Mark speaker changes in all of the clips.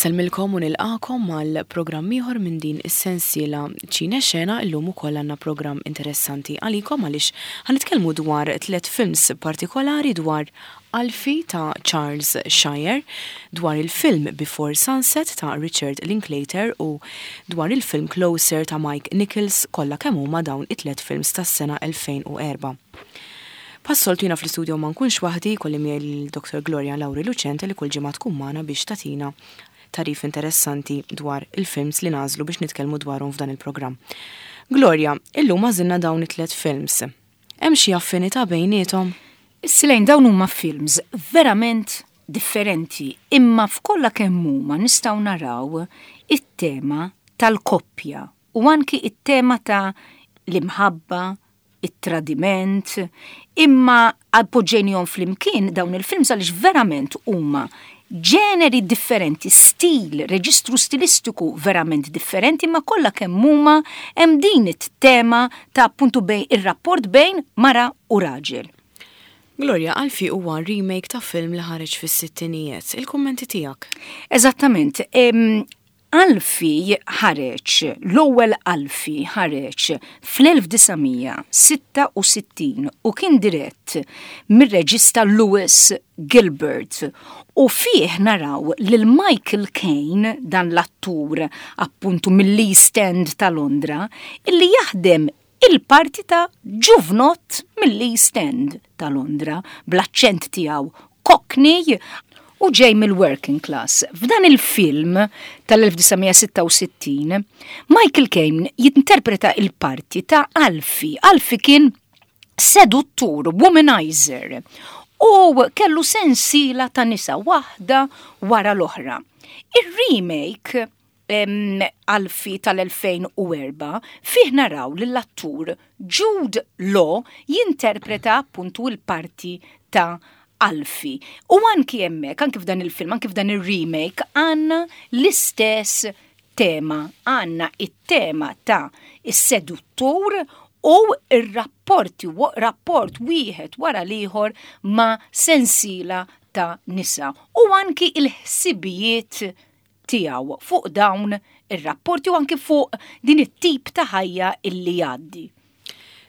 Speaker 1: Insellmilkom u nilqagħkom għal programm ieħor minn din is-sensiela Ċine Xena. Illum ukoll għandna programm interessanti għalikom għaliex ħa nitkellmu dwar tliet films partikolari dwar Alfie ta' Charles Shyer, dwar il-film Before Sunset ta' Richard Linklater u dwar il-film Closer ta' Mike Nichols kollha kemm huma dawn it-tliet films tas-sena 2004. Bħas-soltu jiena fl-istudio ma nkunx waħdi, jkolli miegħi lil Dr. Gloria Lauri Lucente li kull ġimgħa tkun magħna biex tagħtina tagħrif interessanti dwar il-films li nagħżlu biex nitkellmu dwarhom f'dan il-programm. Gloria, illum għażilna dawn it-tliet films. Hemm xi affinità bejniethom?
Speaker 2: Silejn dawn huma films verament differenti, imma f'kollha kemm huma nistgħu naraw it-tema tal-koppja u anki it-tema ta' l-imħabba, it-tradiment, imma poġġejnihom flimkien dawn il-films għaliex verament huma ġeneri differenti, stil, reġistru stilistiku verament differenti, ma kollha kemm huma hemm din it-tema ta' appuntu bejn ir-rapport bejn mara u raġel.
Speaker 1: Gloria, Alfie huwa remake ta' film li ħareġ fis-sittinijiet. Il-kummenti tiegħek?
Speaker 2: Eżattament. Alfie ħareġ, l-ewwel Alfie ħareġ fl-1966 u kien dirett mir-reġista Lewis Gilbert u fih naraw lil Michael Caine, dan l-attur appuntu mill-East End ta' Londra, illi jaħdem il-parti ta' ġuvnott mill-East End ta' Londra, bl-aċċent tiegħu Cockney u ġej mill-working class. F'dan il-film tal-1966, Michael Caine jinterpreta il-parti ta' Alfie. Alfie kien seduttur, womanizer, u kellu sensiela ta' nisa waħda wara l-oħra. Ir-remake Alfie tal-2004 fih naraw lill-attur Jude Law jinterpreta appuntu l-parti ta' Alfie. U anki hemmhekk, anki f'dan il-film, anki f'dan ir-remake, għandna l-istess tema, għandna it-tema ta' is-seduttur u ir-rapporti, rapport wieħed wara l-ieħor ma' sensiela ta' nisa u anki il-ħsibijiet tiegħu fuq dawn ir-rapporti u anki fuq din it-tip ta' ħajja illi jgħaddi.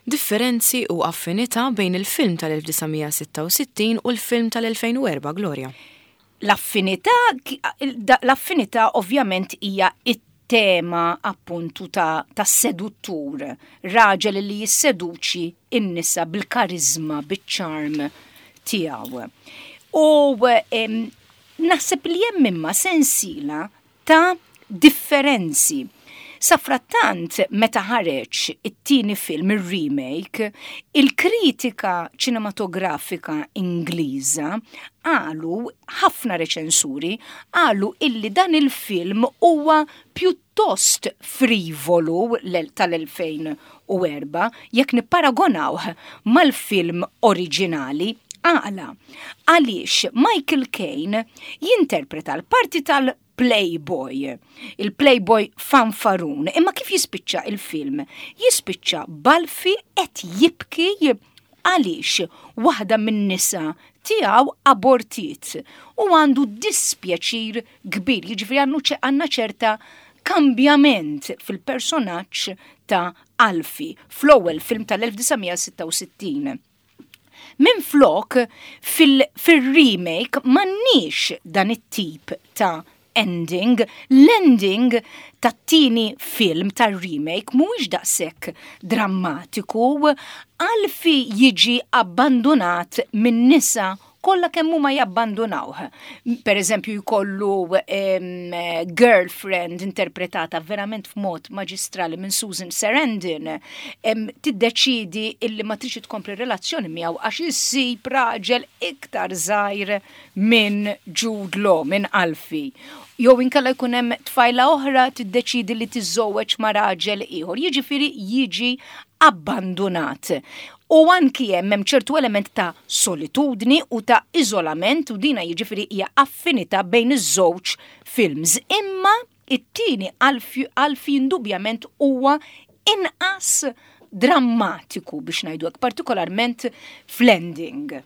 Speaker 1: Differenzi u affinità bejn il-film tal-1966 u l-film tal-2004, Gloria.
Speaker 2: L-affinità, l-affinità ovvjament hija it-tema appuntu ta', ta seduttur, raġel li jisseduċi in-nisa bil-karizma, biċ-charm tiegħu. U Naħseb li hemm imma sensiela ta' differenzi. Safrattant, meta ħareġ it-tieni film, ir-remake, il-kritika ċinematografika Ingliża qalu, ħafna reċensuri, qalu illi dan il-film huwa pjuttost frivolu tal-2004 jekk nipparagonawh mal-film oriġinali. Għala? Għaliex Michael Caine jinterpreta l-parti tal-Playboy, il-Playboy fanfarun, imma kif jispiċċa il-film? Jispiċċa b'Alfie qed jibki għaliex waħda min-nisa tiegħu abortiet u għandu dispjaċir kbir, jiġifieri għandna ċerta kambjament fil-personaġġ ta' Alfie fl-ewwel film tal-1966. Minflok fil-remake m'għandniex dan it-tip ta' ending, l-ending tat-tieni film tar-remake mhuwiex daqshekk drammatiku, Alfie jiġi abbandunat min-nisa kollha kemm huma jabbandunawh. Per eżempju jkollu girlfriend interpretata verament f'mod maġistrali minn Susan Sarandon, tiddeċidi illi ma tridx tkompli relazzjoni miegħu għax issib raġel iktar żgħir minn Jude Law, minn Alfie. Jew inkella jkun hemm tfajla oħra tiddeċidi li tiżżewweġ ma' raġel ieħor. Jiġifieri jiġi abbandunat. U anki hemm hemm ċertu element ta' solitudni u ta' iżolament u dina jiġifieri hija affinità bejn iż-żewġ films. Imma it-tieni Alfie indubjament huwa inqas drammatiku biex ngħidu hekk, partikolarment fl-ending.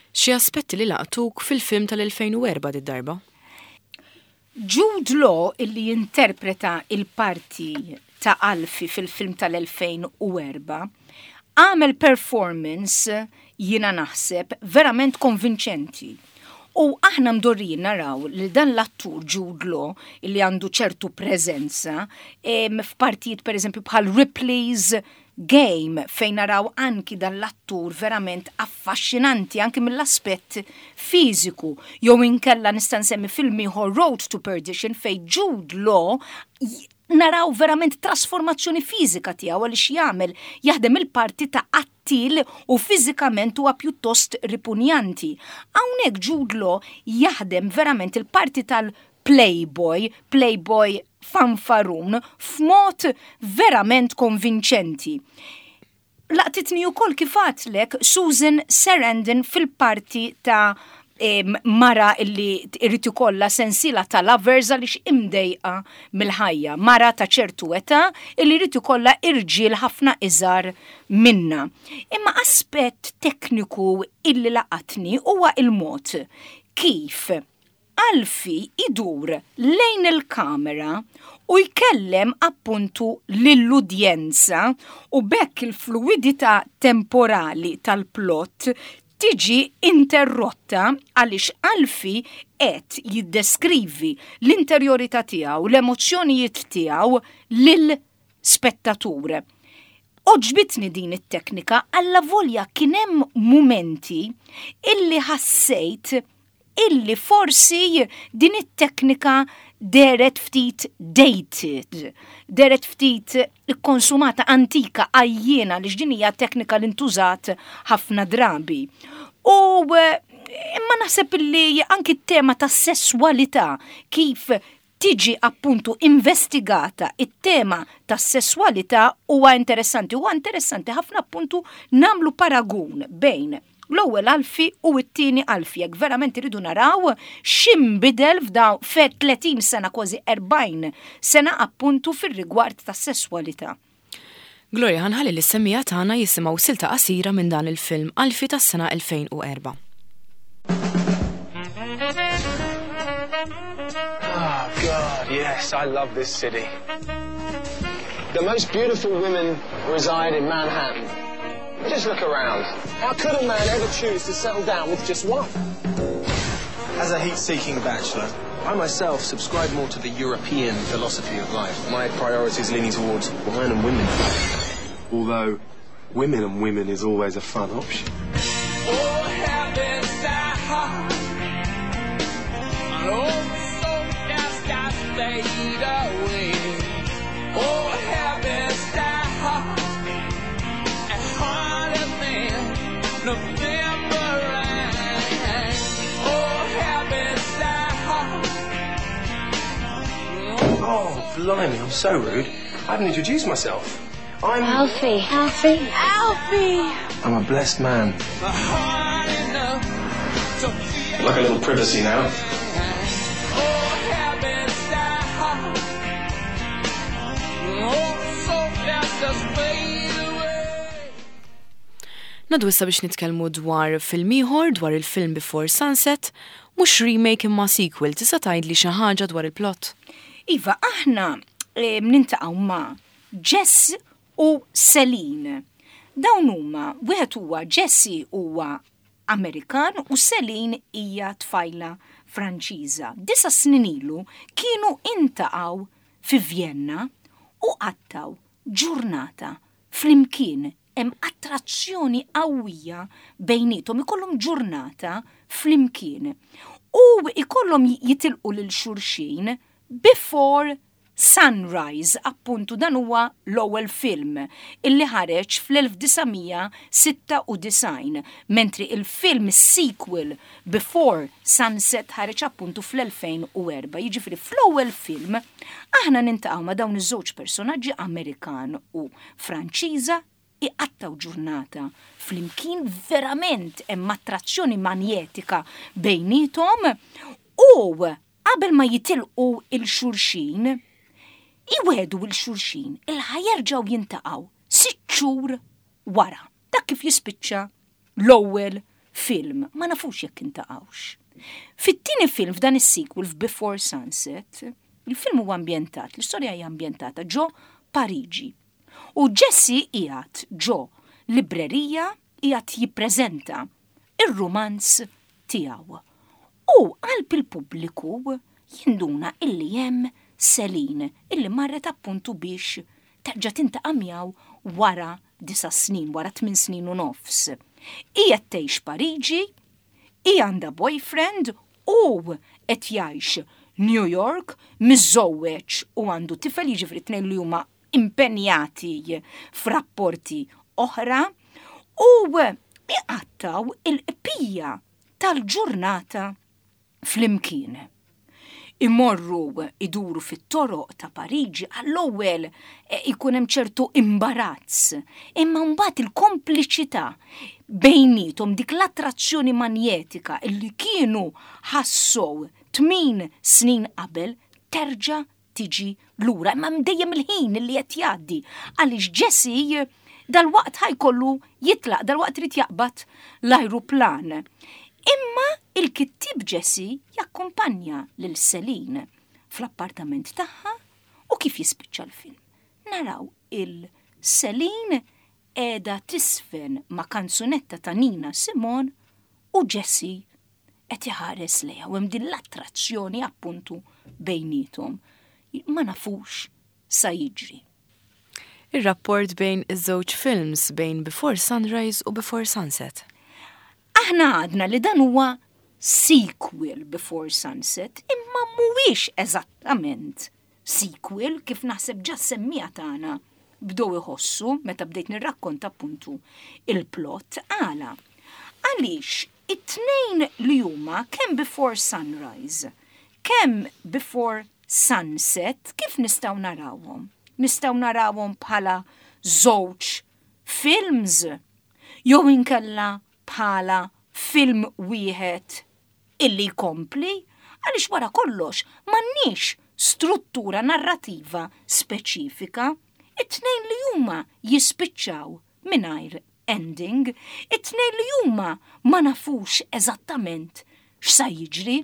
Speaker 1: Xi aspetti li laqtuk fil-film tal-2004 did-darba?
Speaker 2: Jude Law illi jinterpreta il-parti ta' Alfie fil-film tal-2004 għamel performance jiena naħseb verament konvinċenti. U aħna mdorrijin naraw li dan l-attur Jude Law illi għandu ċertu preżenza f'partijiet pereżempju bħal Ripley's Game fejn naraw anki dan l-attur verament affaxxinanti anki mill-aspett fiżiku jew inkella nista' nsemmi film ieħor Road to Perdition fejn Jude Law naraw verament trasformazzjoni fiżika tiegħu għaliex jagħmel jaħdem il-parti ta' qattiel u fiżikament huwa pjuttost ripunjanti. Hawnhekk Jude Law jaħdem verament il-parti tal-playboy, playboy fanfarun f'mod verament konvinċenti. Laqtitni wkoll kif għadtlek Susan Sarandon fil-parti ta' mara illi irrid ikollha sensiela ta' lovers għaliex imdejqa mill-ħajja. Mara ta' ċertu età illi jrid ikollha irġiel ħafna iżgħar minnha. Imma aspett tekniku illi laqatni huwa il-mod kif Alfie idur lejn il-kamera u jkellem appuntu lill-udjenza u b'hekk il-fluwidità temporali tal-plott tiġi interrotta għaliex Alfie qed jiddeskrivi l-interjorità tiegħu, l-emozzjonijiet tiegħu lil spettatur. Għoġbitni din it-teknika allavolja kien hemm mumenti illi ħassejt illi forsi din it-teknika dehret ftit dated, dehret ftit ikkonsumata, antika, għajjiena għaliex din hija teknika li ntużat ħafna drabi. U eh, imma naħseb illi anki t-tema tas-sesswalità kif tiġi appuntu investigata it-tema tas-sesswalità huwa interessanti. Huwa interessanti ħafna appuntu nagħmlu paragun bejn l-ewwel Alfie u t-tieni Alfie jekk verament iridu naraw x'inbidel f'dawn fe 30 sena kważi 40 sena appuntu fir-rigward tas-sesswalità.
Speaker 1: Gloria ħa nħalli lis-semmiegħa tagħna jisimgħu silta qasira minn dan il-film Alfie tas-sena 2004.
Speaker 3: Oh God, yes, I love this city. The most beautiful women reside in Manhattan. Just look around. How could a man ever choose to settle down with just one? As a heat-seeking bachelor, I myself subscribe more to the European philosophy of life. My priorities leaning towards wine and women. Although, women and women is always a fun option. Oh, blimey, I'm so rude. I haven't introduced myself. I'm...
Speaker 4: Alfie. Alfie. Alfie!
Speaker 3: I'm a blessed man. Like a little privacy now.
Speaker 1: Ngħaddu issa biex nitkellmu dwar film ieħor, dwar il-film Before Sunset, mhux remake imma sequel, tista' tgħidli xi ħaġa dwar il-plot?
Speaker 2: Iva, aħna eh, nintaqgħu ma' Jess u Celine. Dawn huma, wieħed huwa Jesse huwa Amerikan u Celine hija tfajla Franċiża. Disa snin ilu kienu intaqgħu fi Vienna u qattgħu ġurnata flimkien hemm attrazzjoni qawwija bejniethom, ikollhom ġurnata flimkien u ikollhom jitilqu lil xulxin before sunrise, appuntu dan huwa l-ewwel film illi ħareġ fl-1996, mentri il-film sequel Before Sunset ħareġ appuntu fl-2004. Jiġifieri fl-ewwel film aħna nintaqgħu ma' dawn iż-żewġ personaġġi Amerikan u Franċiża iqattgħu ġurnata flimkien verament hemm attrazzjoni manjetika bejniethom u qabel ma jitilqu 'l xulxin iwegħdu 'l xulxin il ħa jerġgħu jintaqgħu sitt xhur wara. Dak kif jispiċċa l-ewwel film. Ma nafux jekk intaqgħux. Fit-tieni film f'dan is-sequel f'Before Sunset, il-film huwa ambjentat, l-istorja hija ambjentata ġo Pariġi. U Jesse qiegħed ġo librerija qiegħed jippreżenta ir-rumanz tiegħu. U qalb il-pubbliku jinduna illi hemm Celine illi marret appuntu biex terġa' tintaqa' miegħu wara disa' snin, wara tminn snin u nofs. Hi qed tgħix Pariġi, hi għandha boyfriend u qed jgħix New York, miżżewweġ u għandu tifel, jiġifieri t-tnejn li huma impenjati f'rapporti oħra u iqattgħu il-qpija tal-ġurnata flimkien. Imorru iduru fit-toroq ta' Pariġi għall-ewwel eh, ikun hemm ċertu imbarazz, imma mbagħad il-kompliċità bejnietom dik l-attrazzjoni manjetika illi kienu ħassow tmin snin qabel terġa' tiġi lura. Imma hemm dejjem il-ħin li qed jgħaddi għaliex Jesse dalwaqt ħajkollu jitlaq, dalwaqt irid jaqbad l-ajruplan. Imma il-kittieb Jesse jakkumpanja lil Celine fl-appartament tagħha u kif jispiċċa l-film. Naraw il-Celine qiegħda tisfen ma' kanzunetta ta' Nina Simone u Jesse qed iħares lejha u hemm din l-attrazzjoni appuntu bejniethom. Ma nafux sa jiġri.
Speaker 1: Ir-rapport bejn iż-żewġ films bejn Before Sunrise u Before Sunset.
Speaker 2: Aħna għadna li dan huwa sequel Before Sunset, imma mhuwiex eżattament sequel kif naħseb ġa s-semmiegħa tagħna bdew iħossu meta bdejt nirrakkonta appuntu il-plot. Għala? Għaliex it-tnejn li huma kemm Before Sunrise, kemm Before Sunset kif nistgħu narawhom? Nistgħu narawhom bħala żewġ films jew inkella bħala film wieħed illi jkompli għaliex wara kollox m'għandniex struttura narrativa speċifika. It-tnejn li huma jispiċċaw mingħajr ending, it-tnejn li huma ma nafux eżattament x'sa jiġri.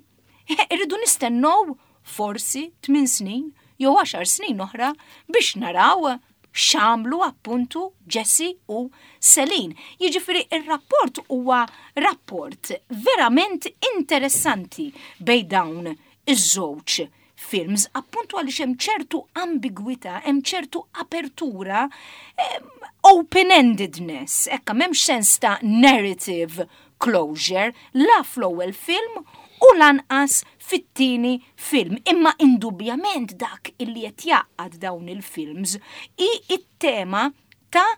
Speaker 2: Irridu nistennew forsi tminn snin jew għaxar snin oħra biex naraw x'għamlu appuntu Jesse u Celine. Jiġifieri ir-rapport huwa rapport verament interessanti bejn dawn iż-żewġ films appuntu għaliex hemm ċertu ambigwità, hemm ċertu apertura, open-endedness, ekka m'hemmx sens ta' narrative closure la fl-ewwel film u lanqas fit-tieni film. Imma indubjament dak illi qed jgħaqqad dawn il-films hi t-tema ta'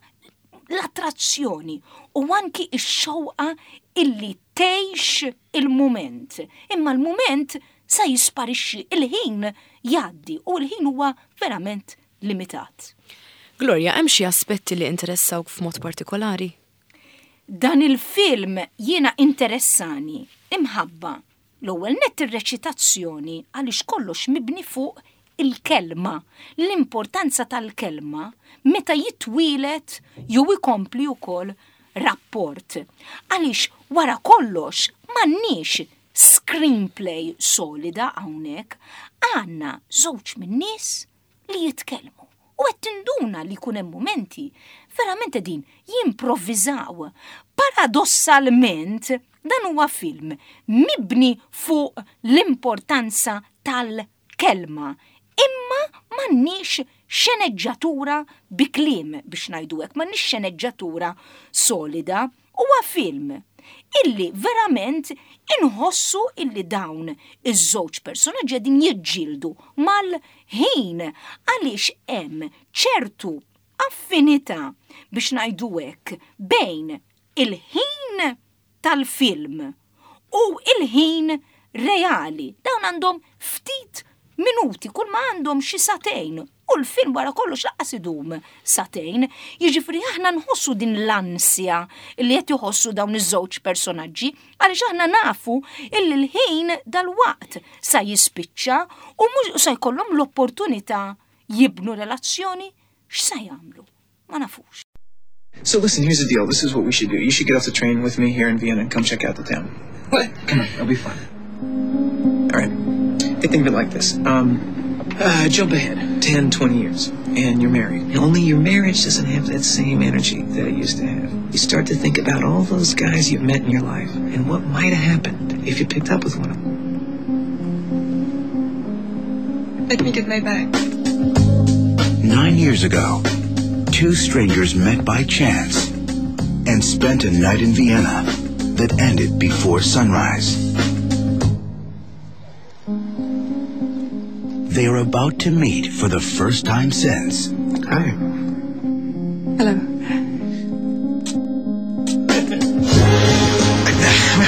Speaker 2: l-attrazzjoni u anki x-xewqa illi tgħix il-mument. Imma l-mument sa jisparixxi, il-ħin jgħaddi u l-ħin huwa verament limitat.
Speaker 1: Gloria, hemm xi aspetti li interessawk f'mod partikolari?
Speaker 2: Dan il-film jiena interessani imħabba l-ewwel nett ir-reċitazzjoni għaliex kollox mibni fuq il-kelma, l-importanza tal-kelma meta jitwieled jew ikompli wkoll rapport. Għaliex wara kollox m'għandniex screenplay solida hawnhekk, għandna żewġ min-nies li jitkellmu. U qed tinduna li jkun hemm mumenti verament qegħdin jimprovviżaw. Paradossalment, dan huwa film mibni fuq l-importanza tal-kelma, imma m'għandniex xeneġġatura bi kliem biex ngħidu hekk, m'għandniex xeneġġatura solida. Huwa film illi verament inħossu illi dawn iż-żewġ personaġġi qegħdin jiġġieldu mal-ħin għaliex hemm ċertu affinità biex ngħidu hekk bejn il-ħin tal-film u l-ħin reali. Dawn għandhom ftit minuti, kull ma għandhom xi sagħtejn u l-film wara kollox laqqas idum sagħtejn. Jiġifieri aħna nħossu din l-ansja li qed iħossu dawn iż-żewġ personaġġi għaliex aħna nafu illi l-ħin dalwaqt sa jispiċċa u mhux sa jkollhom l-opportunità jibnu relazzjoni x'sa jagħmlu. Ma nafux.
Speaker 3: So listen, here's the deal. This is what we should do. You should get off the train with me here in Vienna and come check out the town. What? Come on, it'll be fun. All right. Think of it like this. Um, uh, jump ahead 10, 20 years, and you're married. Only your marriage doesn't have that same energy that it used to have. You start to think about all those guys you've met in your life and what might have happened if you picked up with one of them.
Speaker 4: Let me get my bag.
Speaker 5: 9 years ago, two strangers met by chance and spent a night in Vienna that ended before sunrise. They are about to meet for the first time since.
Speaker 3: Hi.
Speaker 4: Hello.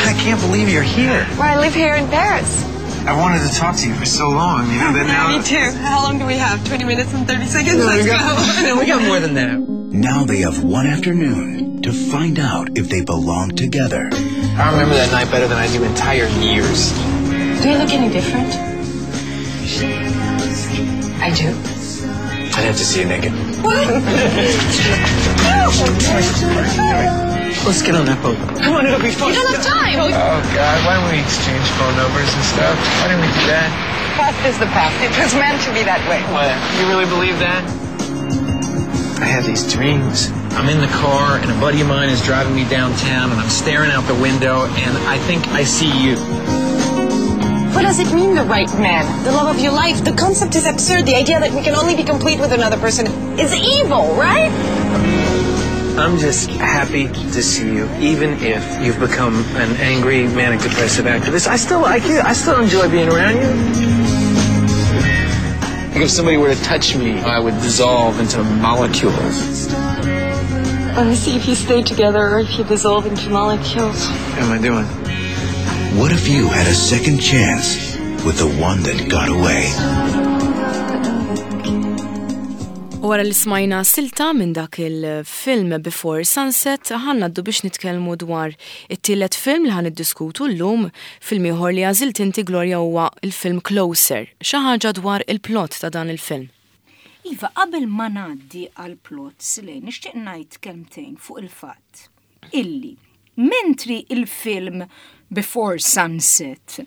Speaker 3: I can't believe you're here.
Speaker 4: Well, I live here in Paris.
Speaker 3: I wanted to talk to you for so long, you know, that now...
Speaker 4: Me too. How long do we have? 20 minutes and 30 seconds?
Speaker 3: No,
Speaker 4: Let's
Speaker 3: we got,
Speaker 4: go.
Speaker 3: no, we got more than that.
Speaker 5: Now they have one afternoon to find out if they belong together.
Speaker 3: I remember that night better than I do entire years.
Speaker 4: Do I look any different? I do.
Speaker 3: I'd have to see you naked.
Speaker 4: What?
Speaker 3: Let's get on that boat. Come on, it'll be fun.
Speaker 4: You don't have time.
Speaker 3: Oh, God, why don't we exchange phone numbers and stuff? Why didn't we do that?
Speaker 4: Past is the past. It was meant to be that way.
Speaker 3: What? You really believe that? I have these dreams. I'm in the car, and a buddy of mine is driving me downtown, and I'm staring out the window, and I think I see you.
Speaker 4: What does it mean, the right man? The love of your life? The concept is absurd. The idea that we can only be complete with another person is evil, right?
Speaker 3: I'm just happy to see you, even if you've become an angry, manic depressive activist. I still like you. I still enjoy being around you. Like if somebody were to touch me, I would dissolve into molecules.
Speaker 4: Let me see if you stay together or if you dissolve into molecules.
Speaker 3: How am I doing?
Speaker 5: What if you had a second chance with the one that got away?
Speaker 1: U wara li smajna silta minn dak il-film Before Sunset, ħa ngħaddu biex nitkellmu dwar it-tielet film li ħa niddiskutu llum, film ieħor li għażilt inti Gloria huwa il-film Closer. Xi ħaġa dwar il-plot ta' dan il-film.
Speaker 2: Iva, qabel ma ngħaddi għal plot Silej, nixtieq ngħid kelmtejn fuq il-fatt illi mentri il-film Before Sunset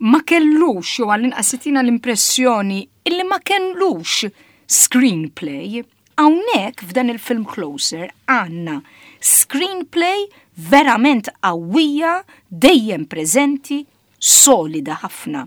Speaker 2: ma kellux, jew għall-inqas tina l-impressjoni illi ma kellux screenplay, hawnhekk f'dan il-film Closer għandna screenplay verament qawwija, dejjem preżenti, solida ħafna.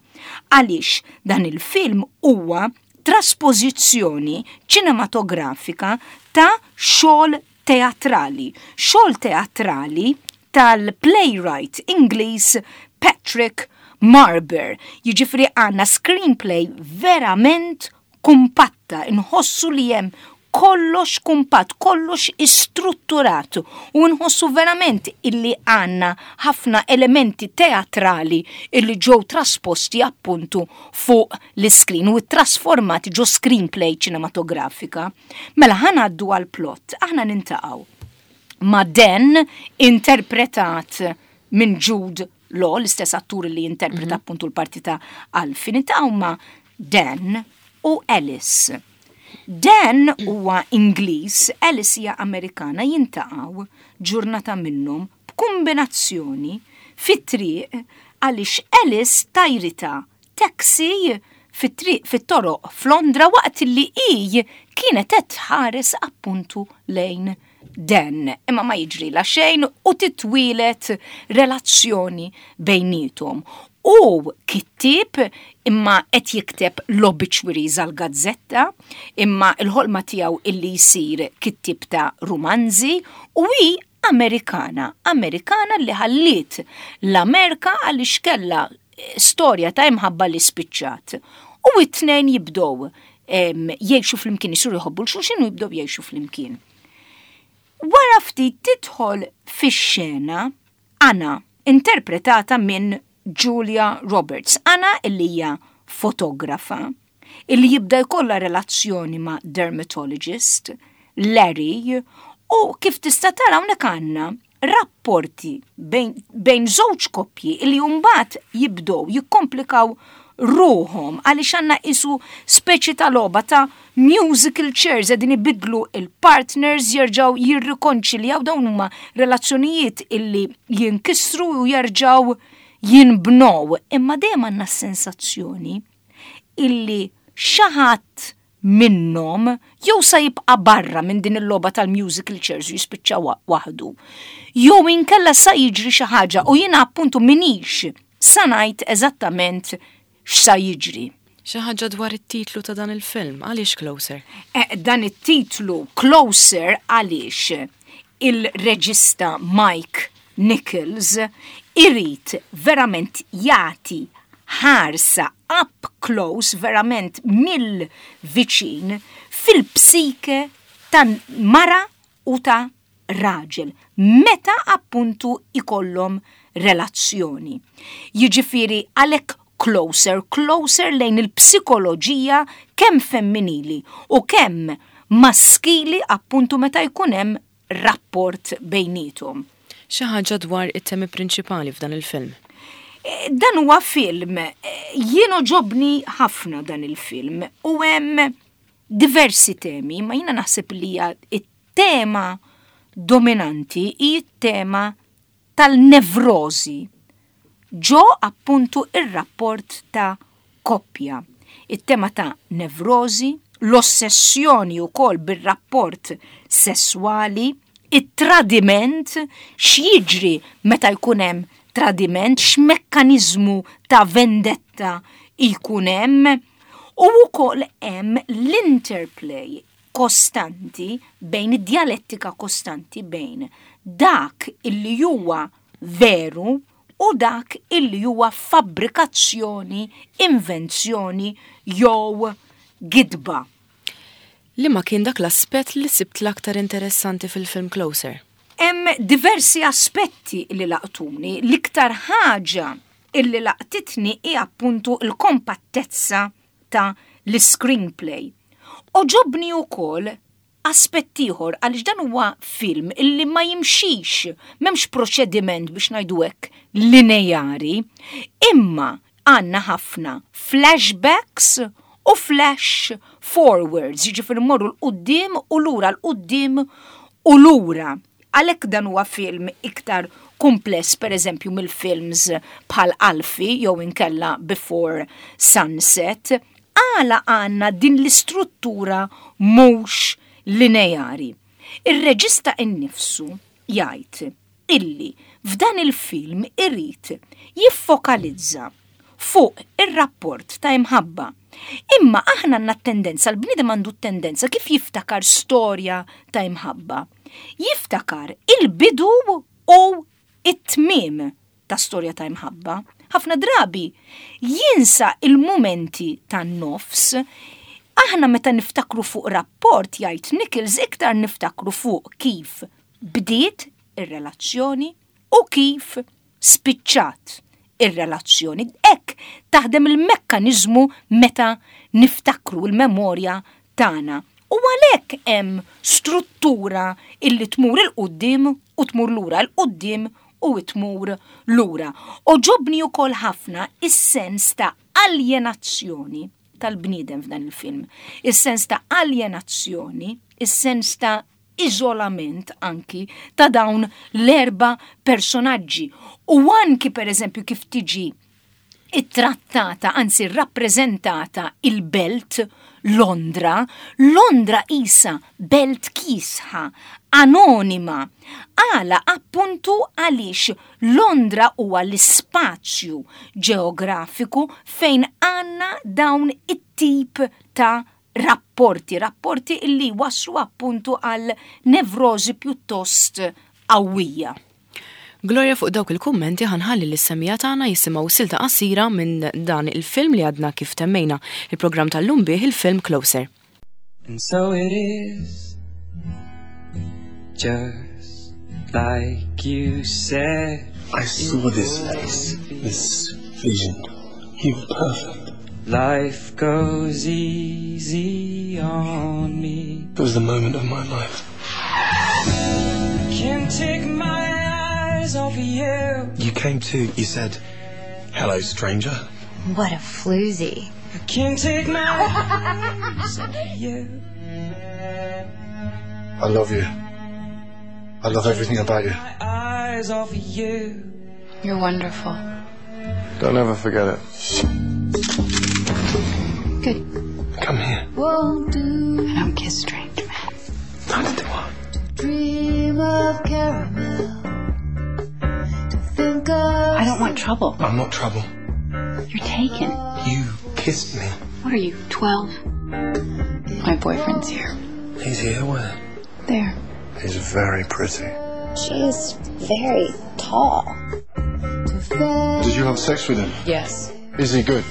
Speaker 2: Għaliex dan il-film huwa traspożizzjoni ċinematografika ta' xogħol teatrali. Xogħol teatrali tal-playwright Ingliż Patrick Marber. Jiġifieri għandna screenplay verament kumpatta, nħossu li hemm kollox kumpat, kollox istrutturat u nħossu verament illi għandna ħafna elementi teatrali illi ġew trasposti appuntu fuq l-screen u trasformati ġo screenplay ċinematografika. Mela ħa ngħaddu għal plot, aħna niltaqgħu ma' Dan interpretat minn Jude Law, l-istess attur li interpreta appuntu l-parti ta' Alfie, niltaqgħu ma' Dan u Alice. Dan huwa Ingliż, Alice hija Amerikana, jiltaqgħu ġurnata minnhom b'kombinazzjoni fit-triq għaliex Alice tajrita taxi fit-triq fit-toroq f'Londra waqt li hi kienet qed tħares appuntu lejn Dan. Imma ma jiġri la xejn u titwieled relazzjoni bejnietom. U kittib imma qed jikteb l-obituaries għal gazzetta, imma il-ħolma tiegħu illi jsir kittib ta' romanzi u hi Amerikana, Amerikana li ħalliet l-Amerika għaliex kellha storja ta' imħabba li spiċċat. U it-tnejn jibdow jgħixu flimkien, jisiru jħobbu 'l xulxin u jibdow jgħixu flimkien. Wara ftit tidħol fix-xena Anna, interpretata minn Julia Roberts. Anna illi hija fotografa, illi jibda jkollha relazzjoni ma' dermatologist, Larry, u kif tista' tara hawnhekk għandna rapporti bejn żewġ koppji illi mbagħad jibdew jikkomplikaw ruħhom għaliex għandna isu speċi ta' logħba ta' musical chairs qegħdin ibidlu il-partners jerġgħu jirrikonċiljaw dawn huma relazzjonijiet illi jinkisru u jerġgħu. jinbnow, imma dejjem għandna s-sensazzjoni illi xi ħadd minnhom jew sa jibqa' barra minn din il-logħba tal-musical chairs u jispiċċa waħdu. Jew inkella sa jiġri xi ħaġa u jiena appuntu minix sa ngħid eżattament x'sa jiġri.
Speaker 1: Xi ħaġa dwar it-titlu ta' dan il-film, għaliex Closer?
Speaker 2: Eh, dan it-titlu Closer għaliex il-reġista Mike Nichols irid verament jagħti ħarsa up close, verament mill-viċin, fil-psike ta' mara u ta' raġel, meta appuntu ikollhom relazzjoni. Jiġifieri għalhekk closer, closer lejn il-psikoloġija kemm femminili u kemm maskili appuntu meta jkun hemm rapport bejniethom.
Speaker 1: Xi ħaġa dwar it-temi prinċipali f'dan il-film?
Speaker 2: Dan huwa film, jien għoġobni ħafna dan il-film u hemm diversi temi, ma jiena naħseb li hija t-tema dominanti hi t-tema tal-nevrożi ġo appuntu ir-rapport ta' koppja. It-tema ta' nevrożi, l-ossessjoni wkoll bir-rapport sesswali, it-tradiment, x'jiġri meta jkun hemm tradiment, x'mekkaniżmu ta' vendetta jkun hemm, u wkoll hemm l-interplay kostanti bejn id-djalettika kostanti bejn dak illi huwa veru u dak illi huwa fabbrikazzjoni, invenzjoni jew gidba.
Speaker 1: Liema kien dak l-aspett li sibt l-aktar interessanti fil-film Closer?
Speaker 2: Hemm diversi aspetti li laqtuni. L-iktar ħaġa illi laqtitni hi appuntu l-kompattezza ta' l-iscreenplay. Għoġobni ukoll aspett ieħor għaliex dan huwa film illi ma jimxix, m'hemmx proċediment biex ngħidu hekk lineari, imma għandna ħafna flashbacks u flash forwards, jiġifieri mmorru 'l quddiem u lura 'l quddiem u lura. Għalhekk dan huwa film iktar kumpless pereżempju mill-films bħal Alfie jew inkella Before Sunset. Għala għandna din l-istruttura mhux lineari? Ir-reġista innifsu jgħid illi f'dan il-film irid jiffokalizza fuq ir-rapport ta' imħabba. Imma aħna għandna t-tendenza, l-bniedem għandu t-tendenza kif jiftakar storja ta' imħabba. Jiftakar il-bidu u t-tmiem ta' storja ta' imħabba. Ħafna drabi jinsa il-mumenti tan-nofs. Aħna meta niftakru fuq rapport jgħid Nichols iktar niftakru fuq kif bdiet ir-relazzjoni u kif spiċċat ir-relazzjoni. Hekk taħdem il-mekkaniżmu meta niftakru l-memorja tagħna. U għalhekk hemm struttura illi tmur 'il quddiem u tmur lura, 'il quddiem u tmur lura. Għoġobni wkoll ħafna is-sens ta' aljenazzjoni tal-bniedem f'dan il-film. Is-sens ta' aljenazzjoni, is-sens ta' iżolament anki ta' dawn l-erba' personaġġi u anki pereżempju kif tiġi ittrattata, anzi rrappreżentata il-belt Londra, Londra qisha belt kiesħa, anonima. Għala appuntu għaliex Londra huwa l-ispazju ġeografiku fejn għandna dawn it-tip ta' rapporti, rapporti illi jwasslu appuntu għal nevrożi pjuttost qawwija.
Speaker 1: Gloria fuq dawk il-kummenti ħa nħalli lis-semmiegħa tagħna jisimgħu silta qasira minn dan il-film li għadna kif temmejna il-programm tal-lum bih il-film Closer.
Speaker 6: And so it is Just like you said
Speaker 3: I saw this face, this vision. You were perfect.
Speaker 6: Life goes easy on me.
Speaker 3: It was the moment of my life.
Speaker 6: Can't take my eyes off of you.
Speaker 3: You came to, you said, hello, stranger.
Speaker 7: What a floozy.
Speaker 6: I can't take my eyes off of you.
Speaker 3: I love you. I love everything about you.
Speaker 6: My eyes off of you.
Speaker 7: You're wonderful.
Speaker 3: Don't ever forget it.
Speaker 7: Good.
Speaker 3: Come here.
Speaker 6: Won't do
Speaker 7: I don't kiss strange men.
Speaker 3: Neither do I.
Speaker 6: to dream of caramel. To think of
Speaker 7: I don't want trouble.
Speaker 3: I'm not trouble.
Speaker 7: You're taken.
Speaker 3: You kissed me.
Speaker 7: What are you, 12? My boyfriend's here.
Speaker 3: He's here where?
Speaker 7: There.
Speaker 5: He's very pretty.
Speaker 7: She is very tall.
Speaker 6: to fail.
Speaker 5: Did you have sex with him?
Speaker 7: Yes.
Speaker 5: Is he good?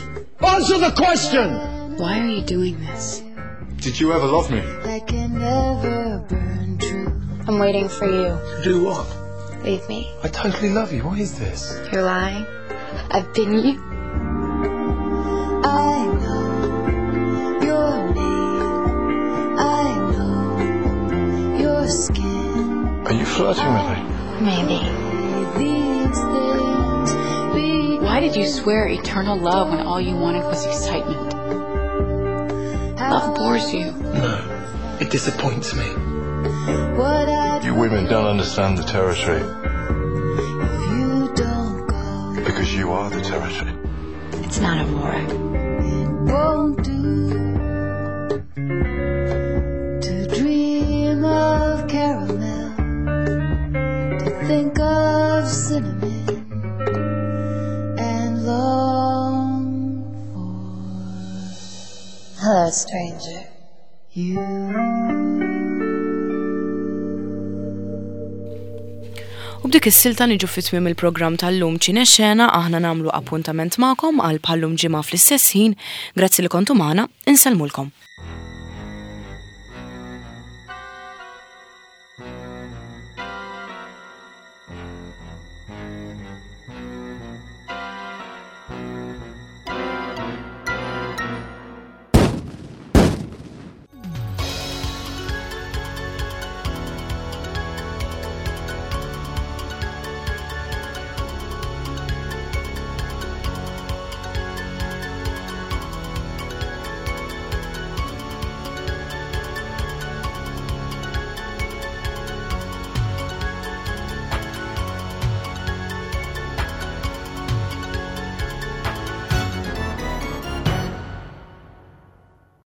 Speaker 3: Answer the question!
Speaker 7: Why are you doing this?
Speaker 5: Did you ever love me?
Speaker 6: That can never burn true.
Speaker 7: I'm waiting for you.
Speaker 3: Do what?
Speaker 7: Leave me.
Speaker 3: I totally love you. What is this?
Speaker 7: You're lying. I've been you.
Speaker 6: I know your name. I know your skin.
Speaker 5: Are you flirting with me?
Speaker 7: Maybe.
Speaker 6: These things be
Speaker 7: Why did you swear eternal love when all you wanted was excitement? Love bores you.
Speaker 3: No. It disappoints me.
Speaker 6: what I
Speaker 5: You women don't understand the territory
Speaker 6: if you don't go.
Speaker 5: because you are the territory.
Speaker 7: It's not a war.
Speaker 6: Won't do to dream of caramel, to think of cinnamon, and long for
Speaker 7: Hello, stranger.
Speaker 6: you.
Speaker 1: U b'dik is-silta niġu fi tmiem il-programm tal-lum Ċine Xena aħna nagħmlu appuntament magħkom għal bħallum ġimgħa fl-istess ħin. Grazzi li kontu magħna, insellmulkom.